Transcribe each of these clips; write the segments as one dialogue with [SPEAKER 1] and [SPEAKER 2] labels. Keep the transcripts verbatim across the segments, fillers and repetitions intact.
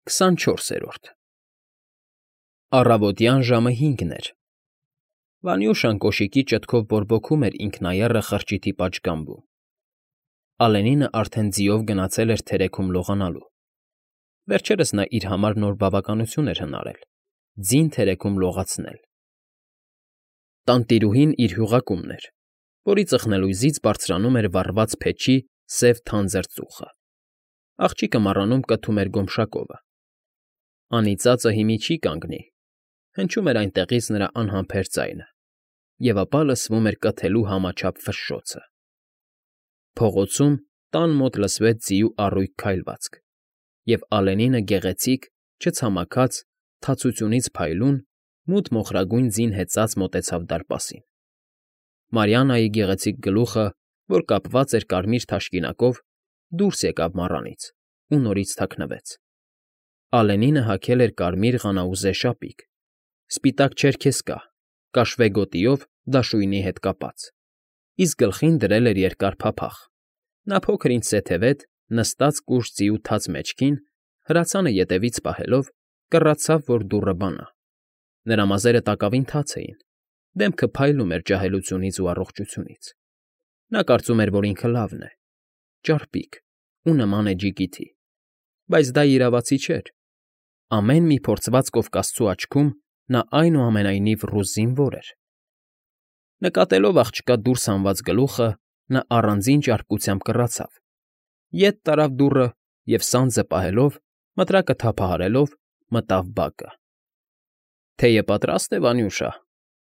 [SPEAKER 1] քսանչորսերորդ Առավոտյան ժամը հինգն էր։ Վանյուշան կոշիկի ճտկով բորբոքում էր ինքնաեռը խրճիթի պատշգամբում։ Ալենինը արդեն ձիով գնացել էր թերեքում լողանալու։ Վերջերս նա իր համար նոր բավականություն էր հնարել՝ ձին թերեքում լողացնել։ Տանտիրուհին իր հյուղակումն էր, որի ծխնելույզից բարձրանում էր վառված փեչի սև թանձր ծուխը։ Աղջիկը մառանում կթում էր գոմշակովը։ Անիծածը հիմի չի կանգնի, հնչում էր այնտեղից նրա անհամբեր ձայնը, և ապա լսվում էր կթելու համաչափ ֆշշոցը։ Փողոցում տան մոտ լսվեց ձիու առույգ քայլվածք, և Ալենինը գեղեցիկ, չցամաքած, թացությունից փայլուն, մութ մոխրագույն ձին հեծած մոտեցավ դարպասին։ Մարիաննայի գեղեցիկ գլուխը, որ կապված էր կարմիր թաշկինակով, դուրս եկավ մառանից ու նորից թաքնվեց։ Ալենինը հագել էր կարմիր ղանաուզե շապիկ, սպիտակ չերքեզկա, կաշվե գոտիով դաշույնի հետ կապած, իսկ գլխին դրել էր երկար փափախ։ Նա փոքր֊ինչ զեթևետ, նստած կուշտ ձիու թաց մեջքին, հրացանը ետևից պահելով, կռացավ, որ դուռը բանա։ Նրա մազերը տակավին թաց էին, դեմքը փայլում էր ջահելությունից ու առողջությունից։ Նա կարծում էր, որ ինքը լավն է, ճարպիկ ու նման է ջիգիթի, բայց դա իրավացի չէր։ Ամեն մի փորձված կովկասցու աչքում նա այնուամենայնիվ ռուս զինվոր էր։ Նկատելով աղջկա դուրս հանված գլուխը, նա առանձին ճարպկությամբ կռացավ, ետ տարավ դուռը և սանձը պահելով, մտրակը թափահարելով, մտավ բակը։ ֊ Թեյը պատրաստ է, Վանյուշա,֊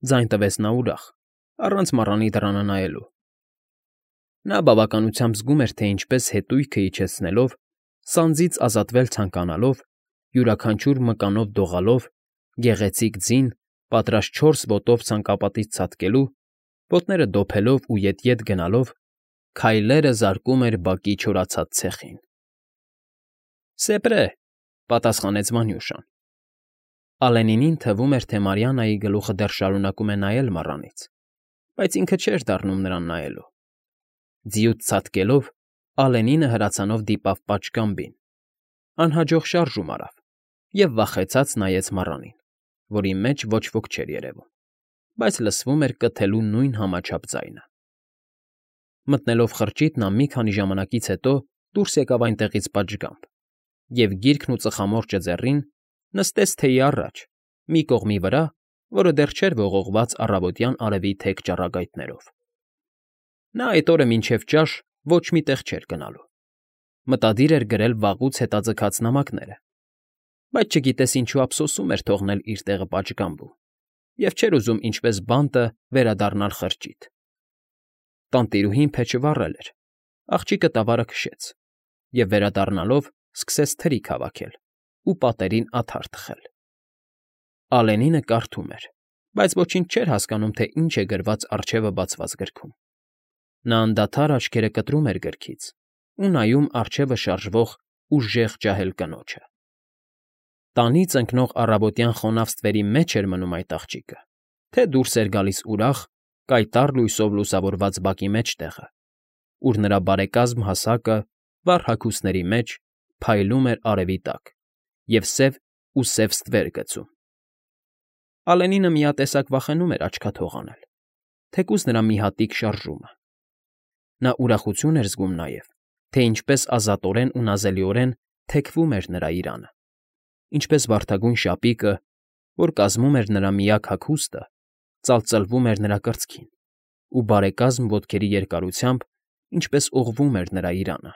[SPEAKER 1] ձայն տվեց նա ուրախ, առանց մառանի դռանը նայելու։ Նա բավականությամբ զգում էր, թե ինչպես հետույքը իջեցնելով, սանձից ազատվել ցանկանալով, յուրաքանչյուր մկանով դողալով, գեղեցիկ ձին, պատրաստ չորս ոտով ցանկապատից ցատկելու, ոտները դոփելով ու ետ֊ետ գնալով, քայլերը զարկում էր բակի չորացած ցեխին։ ֊ Սեպրե,֊ պատասխանեց Վանյուշան։ Ալենինին թվում էր, թե Մարիաննայի գլուխը դեռ շարունակում է նայել մառանից, բայց ինքը չէր դառնում նրան նայելու։ Ձիուց ցատկելով՝ Ալենինը հրացանով դիպավ պատշգամբին, անհաջող շարժում արավ և վախեցած նայեց մառանին, որի մեջ ոչ ոք չէր երևում, բայց լսվում էր կթելու նույն համաչափ ձայնը։ Մտնելով խրճիթ, նա մի քանի ժամանակից հետո դուրս եկավ այնտեղից պատշգամբ և, գիրքն ու ծխամորճը ձեռին, նստեց թեյի առաջ, մի կողմի վրա, որը դեռ չէր ողողված առավոտյան արևի թեք ճառագայթներով։ Նա այդ օրը մինչև ճաշ ոչ մի տեղ չէր գնալու։ Մտադիր էր գրել վաղուց հետաձգած նամակները, բայց չգիտես ինչու ափսոսում էր թողնել իր տեղը պատշգամբում և չէր ուզում ինչպես բանտը վերադառնալ խրճիթ։ Տանտիրուհին փեչը վառել էր, աղջիկը տավարը քշեց և, վերադառնալով, սկսեց թրիկ հավաքել ու պատերին աթար թխել։ Ալենինը կարդում էր, բայց ոչինչ չէր հասկանում, թե ինչ է գրված առջևը բացված գրքում։ Նա անդադար աչքերը կտրում էր գրքից ու նայում առջևը շարժվող ուժեղ ջահել կնոջը։ Տանից ընկնող առավոտյան խոնավ ստվերի մեջ էր մնում այդ աղջիկը, թե դուրս էր գալիս ուրախ, կայտառ լույսով լուսավորված բակի մեջտեղը, ուր նրա բարեկազմ հասակը, վառ հագուստների մեջ, փայլում էր արևի տակ և սև ու սև ստվեր գցում։ Ալենինը միատեսակ վախենում էր աչքաթող անել, թեկուզ նրա մի հատիկ շարժումը։ Նա ուրախություն էր զգում նաև, թե ինչպես ազատորեն ու նազելիորեն թեքվում էր նրա իրանը, ինչպես վարդագույն շապիկը, որ կազմում էր նրա միակ հագուստը, ծալծլվում էր նրա կրծքին ու բարեկազմ ոտքերի երկարությամբ ինչպես ուղղվում էր նրա իրանը,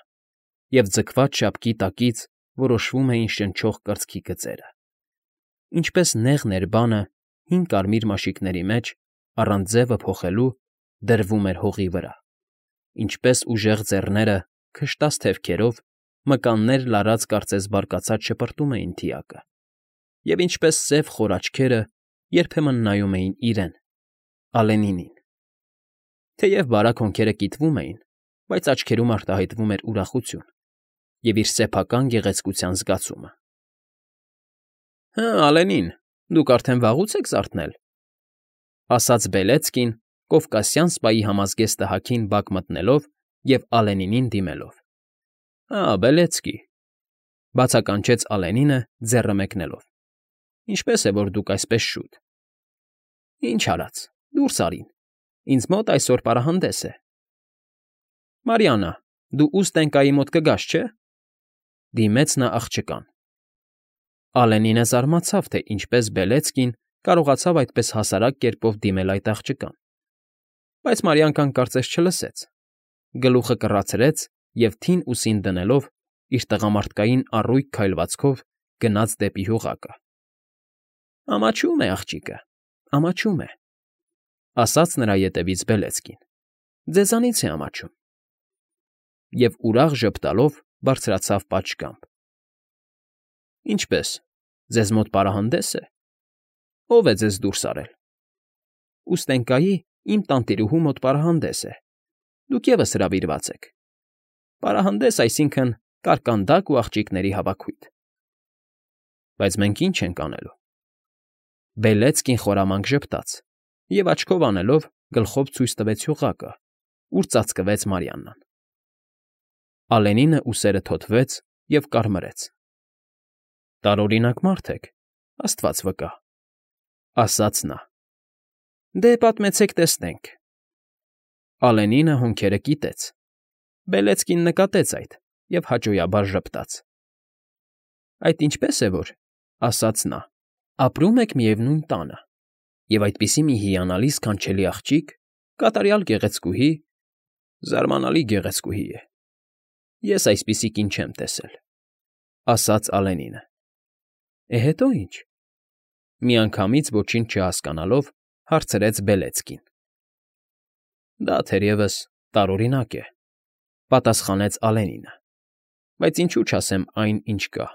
[SPEAKER 1] և ձգված շապկի տակից որոշվում էին շնչող կրծքի գծերը, ինչպես նեղ ներբանը հին կարմիր մաշիկների մեջ, առանց ձևը փոխելու, դրվում էր հողի վրա, ինչպես ուժեղ ձեռները, քշտած թևքերով, մկաններ լարած կարծես բարկացած շպրտում էին թիակը, և ինչպես սև խոր աչքերը երբեմն նայում էին իրեն՝ Ալենինին։ Թեև բարակ հոնքերը կիտվում էին, բայց աչքերում արտահայտվում էր ուրախություն և իր սեփական գեղեցկության զգացումը։ ֊ Հը, Ալենին, դուք արդեն վաղուց եք զարթնել,֊ ասաց Բելեցկին, կովկասյան սպայի համազգեստը հագին բակ մտնելով և Ալենինին դիմելով։ ֊ Հա, Բելեցկի։ Բացականչեց Ալենինը, ձեռը մեկնելով։ Ինչպե՞ս է, որ դուք այսպես շուտ։ Ինչ արած, դուրս արին։ Ինձ մոտ այսօր պարահանդես է։ Մարիաննա, դու Ուստենկայի մոտ կգաս, չէ՞։ Դիմեց նա աղջկան։ Ալենինը զարմացավ, թե ինչպես Բելեցկին կարողացավ այդպես հասարակ կերպով դիմել այդ աղջկան։ Բայց Մարիանքան կարծես չլսեց։ Գլուխը կռացրեց և թին ուսին դնելով իր տղամարդկային առույգ քայլվածքով գնաց դեպի հյուղակը։ Ամաչում է աղջիկը, ամաչում է, ասաց նրա ետևից Բելեցկին։ Ձեզանից է ամաչում։ Եվ ուրախ ժպտալով բարձրացավ պատշգամբ։ Ինչպե՞ս, ձեզ մոտ պարահանդես է։ Ո՞վ է ձեզ դուրս արել։ Ուստենկայի իմ տանտիրուհու մոտ պարահանդես է։ Դուք ևս հրավիրված եք։ Պարահանդես, այսինքն՝ կարկանդակ ու աղջիկների հավաքույթ։ Բայց մենք ի՞նչ ենք անելու։ Բելեցկին խորամանկ ժպտաց և աչքով անելով գլխով ցույց տվեց հյուղակը, ուր ծածկվեց Մարիաննան։ Ալենինը ուսերը թոթվեց և կարմրեց։ Տարօրինակ մարդ եք, աստված վկա, ասաց նա։ Դե պատմեցեք, տեսնենք։ Ալենինը հոնքերը կիտեց։ Բելեցկին նկատեց այդ և հաճոյաբար ժպտաց։ Այդ ինչպես է որ, ասաց նա, ապրում եք միևնույն տանը, և այդպիսի մի հիանալի սքանչելի աղջիկ, կատարյալ գեղեցկուհի, զարմանալի գեղեցկուհի է։ Ես այսպիսի կին չեմ տեսել, ասաց Ալենինը։ Է հետո ինչ։ Միանգամից ոչինչ չհասկանալով հարցրեց Բելեցկին։ Դա թերևս տարօրինակ է, պատասխանեց Ալենինը, բայց ինչու չասեմ այն, ինչ կա։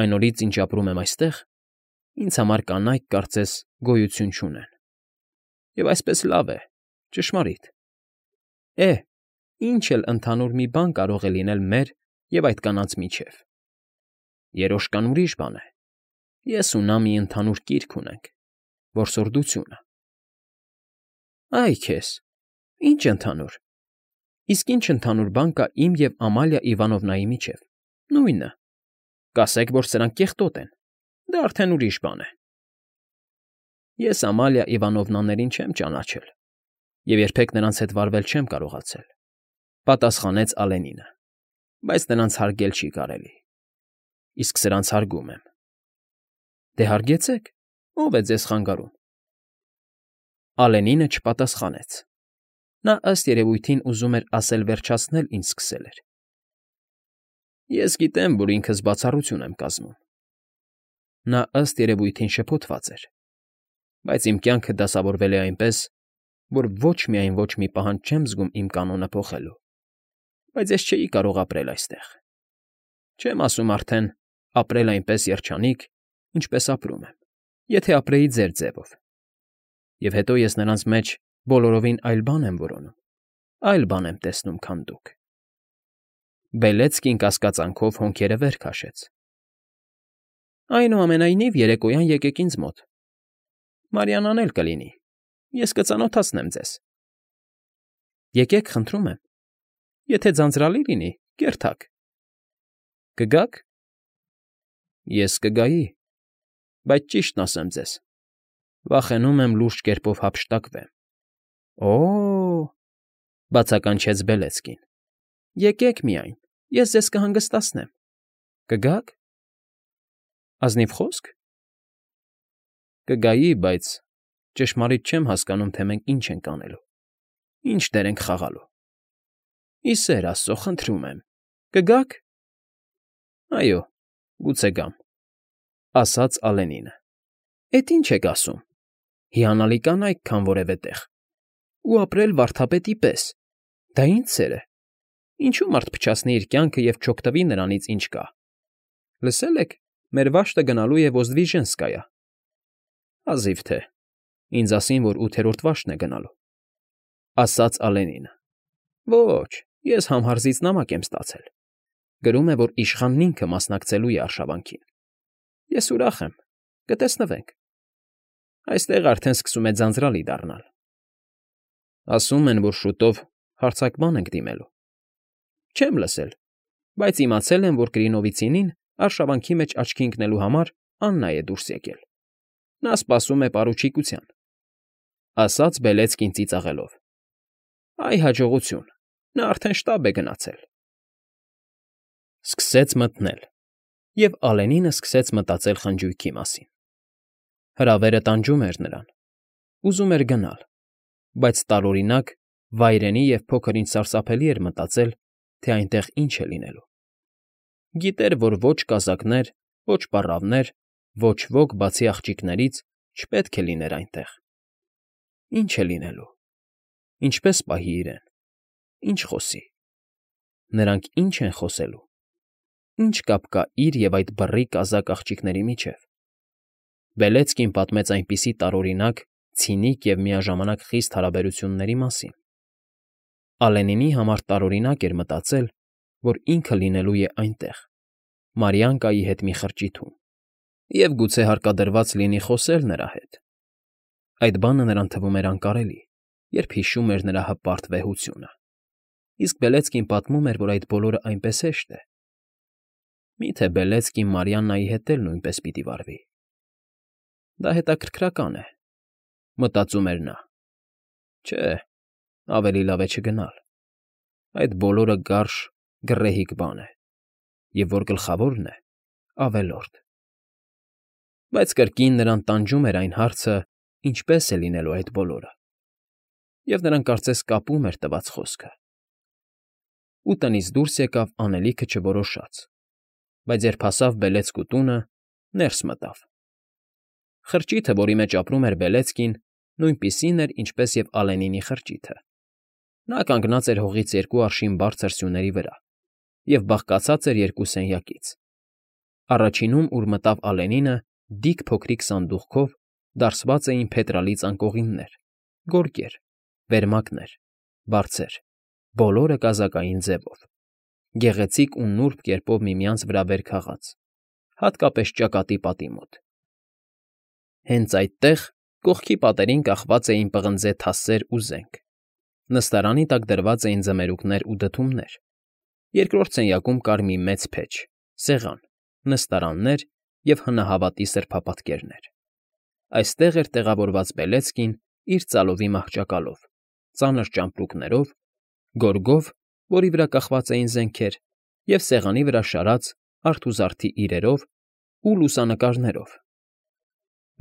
[SPEAKER 1] Այն օրից, ինչ ապրում եմ այստեղ, ինձ համար կանայք, կարծես, գոյություն չունեն։ Եվ այսպես լավ է, ճշմարիտ։ Է, ինչ էլ ընդհանուր մի բան կարող է լինել մեր և այդ կանանց միջև։ Երոշկան ուրիշ բան է։ Ես ու նա մի ընդհանուր կիրք ունենք՝ որսորդությունը։ Այ քեզ, ինչ ընդհանուր։ Իսկ ինչ ընդհանուր բան կա իմ և Ամալիա Իվանովնայի միջև։ Նույնը։ Կասեք, որ սրանք կեղտոտ են։ Դա արդեն ուրիշ բան է։ Ես Ամալիա Իվանովնաներին չեմ ճանաչել և երբեք նրանց հետ վարվել չեմ կարողացել, պատասխանեց Ալենինը, բայց նրանց հարգել չի կարելի։ Իսկ սրանց հարգում եմ։ Դե հարգեցեք, ո՞վ է ձեզ խանգարում։ Ալենինը չպատասխանեց։ Նա ըստ երևույթին ուզում էր ասել վերջացնել, ինչ սկսել էր։ Ես գիտեմ, որ ինքս բացառություն եմ կազմում։ Նա ըստ երևույթին շփոթված էր, բայց իմ կյանքը դասավորվել է այնպես, որ ոչ միայն ոչ մի պահանջ չեմ զգում իմ կանոնը փոխելու, բայց ես չէի կարող ապրել այստեղ։ Չեմ ասում արդեն ապրել այնպես երջանիկ, ինչպես ապրում եմ, եթե ապրեի ձեր ձևով։ Եվ հետո ես նրանց մեջ բոլորովին այլ բան եմ որոնում, այլ բան եմ տեսնում, քան դուք։ Բելեցկին կասկածանքով հոնքերը վեր քաշեց։ Այնուամենայնիվ երեկոյան եկեք ինձ մոտ։ Մարիաննան էլ կլինի, ես կծանոթացնեմ ձեզ։ Եկեք, խնդրում եմ։ Եթե ձանձրալի լինի, կերթակ։ Կգաք։ Ես կգայի, բայց ճիշտն ասեմ ձեզ, վախենում եմ լուրջ կերպով հափշտակվեմ։ Օ՜օ, բացականչեց Բելեցկին։ Եկեք միայն, ես ձեզ կհանգստացնեմ։ Կգաք։ Ազնիվ խոսք։ Կգայի, բայց ճշմարիտ չեմ հասկանում, թե մենք ինչ ենք անելու, ինչ դեր ենք խաղալու։ Ի սեր Աստծո, խնդրում եմ, կգաք։ Այո, գուցե գամ, ասաց Ալենինը։ Էդ ինչ եք ասում։ Հիանալի կանայք, քան որևէ տեղ։ Ու ապրել վարդապետի պես։ Դա ինչ սեր է։ Ինչու մարդ փչացնի իր կյանքը և չօգտվի նրանից, ինչ կա։ Լսել եք, մեր վաշտը գնալու է Ոզդվիժենսկայա։ Հազիվ թե։ Ինձ ասին, որ ութերորդ վաշտն է գնալու, ասաց Ալենինը։ Ոչ, ես համհարզից նամակ եմ ստացել։ Գրում է, որ իշխանն ինքը մասնակցելու է արշավանքին։ Ես ուրախ եմ, կտեսնվենք։ Այստեղ արդեն սկսում է ձանձրալի դառնալ։ Ասում են, որ շուտով հարձակման ենք դիմելու։ Չեմ լսել։ բայց իմացել եմ, որ Կրինովիցինին արշավանքի մեջ աչքի ընկնելու համար Աննա է դուրս եկել. նա սպասում է պարուչիկության, ասաց Բելեցկին ծիծաղելով։ Այ հաջողություն, նա արդեն շտաբ է գնացել։ Սկսեց մթնել, և Ալենինը սկսեց մտածել խնջույքի մասին։ Հրավերը տանջում էր նրան, ուզում էր գնալ, բայց տարօրինակ, վայրենի և փոքր-ինչ սարսափելի էր մտածել, թե այնտեղ ինչ է լինելու։ Գիտեր, որ ոչ կազակներ, ոչ պառավներ, ոչ ոք բացի աղջիկներից չպետք է լիներ այնտեղ։ Ինչ է լինելու, ինչպե՞ս պահի իրեն, ինչ խոսի։ Նրանք ի՞նչ են խոսելու, ի՞նչ կապ կա իր և այդ բռի կազակ աղջիկների միջև։ Բելեցկին պատմեց այնպիսի տարօրինակ, ցինիկ և միաժամանակ խիստ հարաբերությունների մասին։ Ալենինի համար տարօրինակ էր մտածել, որ ինքը լինելու է այնտեղ, Մարիանկայի հետ մի խրճիթում, և գուցե հարկադրված լինի խոսել նրա հետ։ Այդ բանը նրան թվում էր անկարելի, երբ հիշում էր նրա հպարտ վեհությունը։ Իսկ Բելեցկին պատմում էր, որ այդ բոլորը այնպես հեշտ է։ Մի՞թե Բելեցկին Մարիաննայի հետ էլ նույնպես պիտի վարվի։ Դա հետաքրքրական է, մտածում էր նա։ Չէ, ավելի լավ է չգնալ։ Այդ բոլորը գարշ, գռեհիկ բան է, և որ գլխավորն է, ավելորդ։ Բայց կրկին նրան տանջում էր այն հարցը, ինչպե՞ս է լինելու այդ բոլորը, և նրան կարծես կապում էր տված խոսքը։ Ու տնից դուրս եկավ անելիքը չորոշած, բայց երբ հասավ Բելեցկու տունը, ներս մտավ։ Խրճիթը, որի մեջ ապրում էր Բելեցկին, նույնպիսին էր, ինչպես և Ալենինի խրճիթը։ Նա կանգնած էր հողից երկու արշին բարձր սյուների վրա և բաղկացած էր երկու սենյակից։ Առաջինում, ուր մտավ Ալենինը, դիք փոքրիկ սանդուղքով դարսված էին փետրալի ծանկողիններ, գորգեր, վերմակներ, բարձեր, բոլորը կազակային ձևով, գեղեցիկ ու նուրբ կերպով միմյանց վրա վեր քաղած, հատկապես ճակատի պատի մոտ։ Հենց այդտեղ, կողքի պատերին կախված էին պղնձե թասեր ու զենք, նստարանի տակ դրված էին ձմերուկներ ու դդումներ, երկրորդ սենյակում կար մի մեծ փեչ, սեղան, նստարաններ և հնահավատի սրբապատկերներ։ Այստեղ էր տեղավորված Բելեցկին իր ծալովի մահճակալով, ծանր ճամպրուկներով, գորգով, որի վրա կախված էին զենքեր, և սեղանի վրա շարած արթուզարդի իրերով ու լուսանկարներով։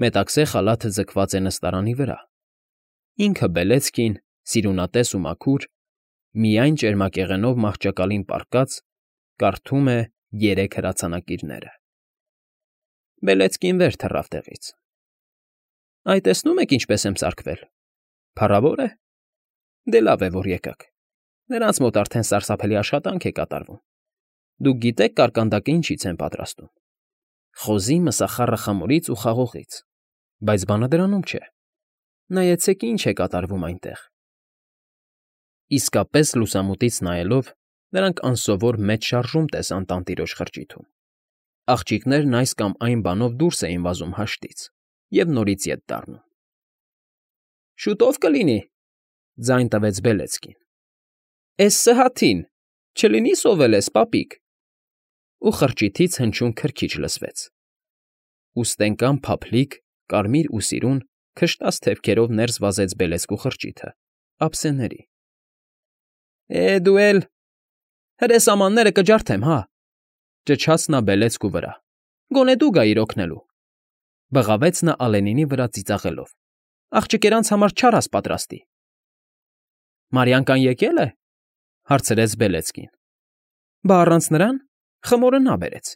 [SPEAKER 1] Մետաքսե խալաթը ձգված է նստարանի վրա։ Ինքը Բելեցկին, սիրունատես ու մաքուր, միայն ճերմակեղենով մահճակալին պառկած, կարդում է երեք հրացանակիրները։ Բելեցկին վեր թռավ տեղից։ Այ, տեսնո՞ւմ եք ինչպես եմ սարքվել, փառավոր է։ Դե լավ է, որ եկաք, նրանց մոտ արդեն սարսափելի աշխատանք է կատարվում։ Դուք գիտե՞ք կարկանդակը ինչից են պատրաստում։ Խոզի, մսախառը խմորից ու խաղողից, բայց բանը դրանում չէ։ Նայեցեք, ինչ է կատարվում այնտեղ։ Իսկապես լուսամուտից նայելով՝ նրանք անսովոր մեծ շարժում տեսան տանտիրոջ խրճիթում։ Աղջիկներն այս կամ այն բանով դուրս էին վազում հաշտից և նորից ետ դառնում։ Շուտո՞վ կլինի,֊ ձայն տվեց Բելեցկին։ Էս սհաթին, չլինի սովել ես, պապիկ։ Ու խրճիթից հնչյուն քրքիջ լսվեց։ Ուստենկան փափլիկ, կարմիր ու սիրուն, քշտած թևքերով ներս վազեց Բելեցկու խրճիթը, ափսեների։ Է, դու էլ… Հրե սամանները կջարդեմ, հա,֊ ճչաց նա Բելեցկու վրա։ Գոնե դու գայիր օգնելու։ Բղավեց նա Ալենինի վրա ծիծաղելով։ Աղջիկերանց համար չարաս պատրաստի։ Մարիանկան եկե՞լ է,֊ հարցրեց Բելեցկին։ Բա առանց նրան խմորը նա բերեց։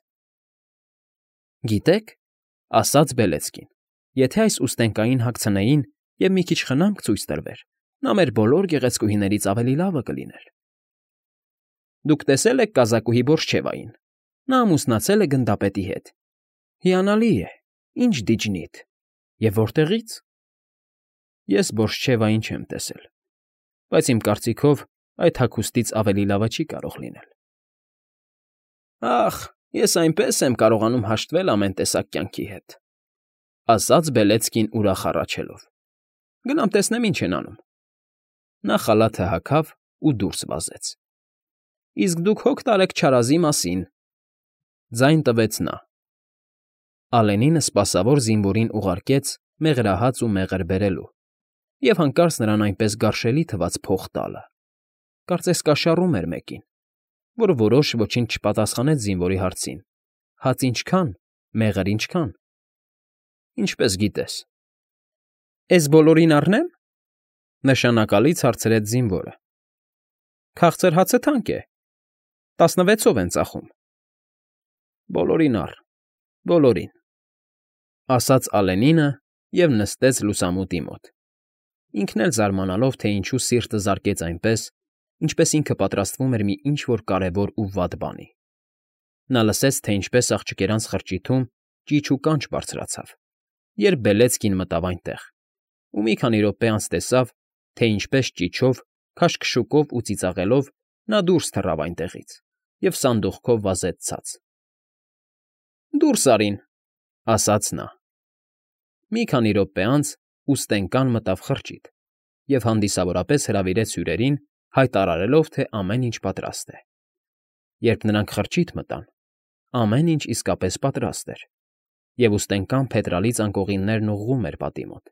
[SPEAKER 1] Գիտեք,֊ ասաց Բելեցկին,֊ եթե այս ուստենկային հագցնեին և մի քիչ խնամք ցույց տրվեր, նա մեր բոլոր գեղեցկուհիներից ավելի լավը կլիներ։ Դուք տեսե՞լ եք կազակուհի Բորշչևային, նա ամուսնացել է գնդապետի հետ։ Հիանալի է, ինչ դիջնիթ, և որտեղի՞ց։ Ես Բորշչևային չեմ տեսել, բայց իմ կարծիքով այդ հագուստից ավելի լավը չի կարող լինել։ Ախ, ես այնպես եմ կարողանում հաշտվել ամեն տեսակ կյանքի հետ,֊ ասաց Բելեցկին ուրախ հառաչելով։ Գնամ տեսնեմ ինչ են անում։ Նա խալաթը հագավ ու դուրս վազեց։ Իսկ դուք հոգ տարեք չարազի մասին,֊ ձայն տվեց նա։ Ալենինը սպասավոր զինվորին ուղարկեց մեղրահաց ու մեղր բերելու և հանկարծ նրան այնպես գարշելի թվաց փող տալը, կարծես կաշառում էր մեկին, որ որոշ ոչինչ չպատասխանեց զինվորի հարցին. հաց ինչքա՞ն, մեղր ինչքա՞ն։ Ինչպես գիտես։ Էս բոլորին առնե՞մ,֊ նշանակալից հարցրեց զինվորը։ Քաղցր հացը թանկ է, տասնվեցով են ծախում։ Բոլորին առ, բոլորին,֊ ասաց Ալենինը և նստեց լուսամուտի մոտ, ինքն էլ զարմանալով, թե ինչու սիրտը զարկեց այնպես, ինչպես ինքը պատրաստվում էր մի ինչ֊որ կարևոր ու վատ բանի։ Նա լսեց, թե ինչպես աղջիկերանց խրճիթում ճիչ ու կանչ բարձրացավ, երբ Բելեցկին մտավ այնտեղ, ու մի քանի րոպե անց տեսավ, թե ինչպես ճիչով, քաշքշուկով ու ծիծաղելով նա դուրս թռավ այնտեղից և սանդուղքով վազեց ցած։ «Դուրս արին,֊ ասաց նա։ Մի քանի րոպե անց ուստենկան մտավ խրճիթ և հանդիսավորապես հրավիրեց հյուրերին, հայտարարելով, թե ամեն ինչ պատրաստ է։ Երբ նրանք խրճիթ մտան, ամեն ինչ իսկապես պատրաստ էր, և ուստենկան փետրալից անկողիններն ուղղում էր պատի մոտ։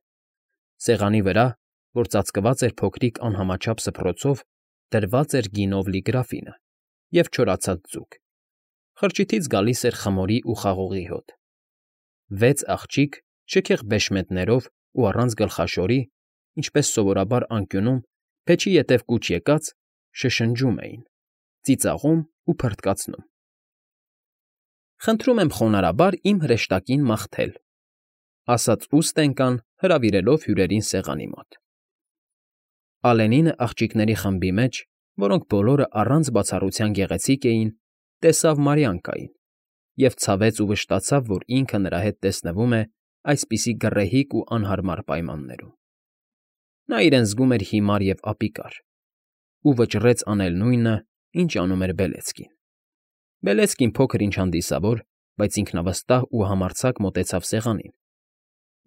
[SPEAKER 1] Սեղանի վրա, որ ծածկված էր փոքրիկ անհամաչափ սփռոցով, դրված էր գինով լի գրաֆինը և չորացած ձուկ, խրճիթից գալիս էր խմորի ու խաղողի հոտ։ Վեց աղջիկ, շքեղ բեշմետներով ու առանց գլխաշորի, ինչպես սովորաբար անկյունում, փեչի ետև կուչ եկած, շշնջում էին, ծիծաղում ու փռթկացնում։ «Խնդրում եմ խոնարհաբար իմ հրեշտակին մաղթել,֊ ասաց ուստենկան, հրավիրելով հյուրերին սեղանի մոտ։ Ալենինը աղջիկների խմբի մեջ, որոնք բոլորը առանց բացառության գեղեցիկ էին, տեսավ Մարիանկային և ցավեց ու վշտացավ, որ ինքը նրա հետ տեսնվում է այսպիսի գռեհիկ ու անհարմար պայմաններում։ Նա իրեն զգում էր հիմար և ապիկար ու վճռեց անել նույնը, ինչ անում էր Բելեցկին։ Բելեցկին փոքր֊ինչ հանդիսավոր, բայց ինքնավստահ ու համարձակ մոտեցավ սեղանին,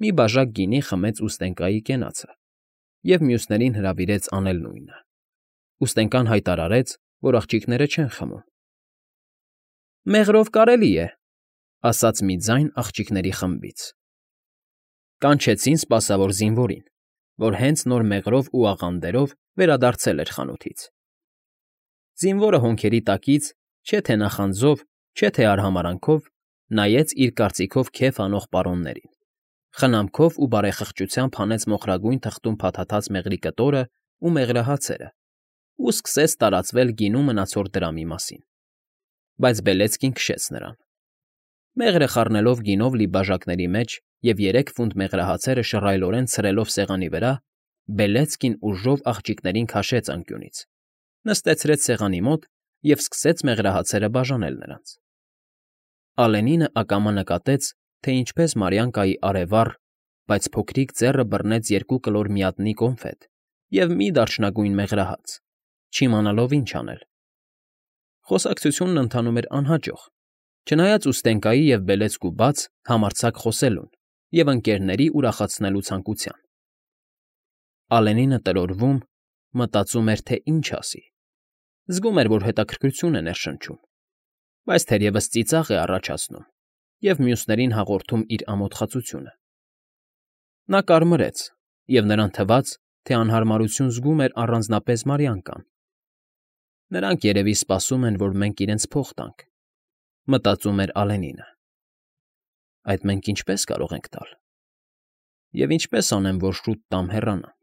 [SPEAKER 1] մի բաժակ գինի խմեց ուստենկայի կենացը և մյուսներին հրավիրեց անել նույնը։ Ուստենկան հայտարարեց, որ աղջիկները չեն խմում։ «Մեղրով կարելի է,֊ ասաց մի ձայն աղջիկների խմբից։ Կանչեցին սպասավոր զինվորին, որ հենց նոր մեղրով ու աղանդերով վերադարձել էր խանութից։ Զինվորը հոնքերի տակից, չէ թե նախանձով, չէ թե արհամարհանքով, նայեց իր կարծիքով քեֆ անող պարոններին, խնամքով ու բարեխղճությամբ հանեց մոխրագույն թղթում փաթաթած մեղրի կտորն ու մեղրահացերը ու սկսեց տարածվել գինու մնացորդ դրամի մասին։ Բայց Բելեցկին քշեց նրան։ Մեղրը խառնելով գինով լի բաժակների մեջ և երեք ֆունտ մեղրահացերը շռայլորեն ցրելով սեղանի վրա, Բելեցկին ուժով աղջիկներին քաշեց անկյունից, նստեցրեց սեղանի մոտ և սկսեց մեղրահացերը բաժանել նրանց։ Ալենինը ակամա նկատեց, թե ինչպես Մարիանկայի արևառ, բայց փոքրիկ ձեռը բռնեց երկու կլոր միատնի կոնֆետ և մի դարչնագույն մեղրահաց, չիմանալով ինչ անել։ Խոսակցությունն ընթանում էր անհաջող, չնայած Ուստենկայի և Բելեցկու բաց, համարձակ խոսելուն և ընկներների ուրախացնելու ցանկության։ Ալենինը տրորվում, մտածում էր, թե ինչ ասի, զգում էր, որ հետաքրքրություն է ներշնչում, բայց թերևս ծիծաղ է առաջացնում և մյուսներին հաղորդում իր ամոթխածությունը։ Նա կարմրեց, և նրան թվաց, թե անհարմարություն զգում էր առանձնապես Մարիանկան։ Նրանք, երևի, սպասում են, որ մենք իրենց փող տանք, մտածում էր Ալենինը։ Այդ մենք ինչպե՞ս կարող ենք տալ։ Եվ ինչպե՞ս անեմ, որ շուտ տամ հեռանամ։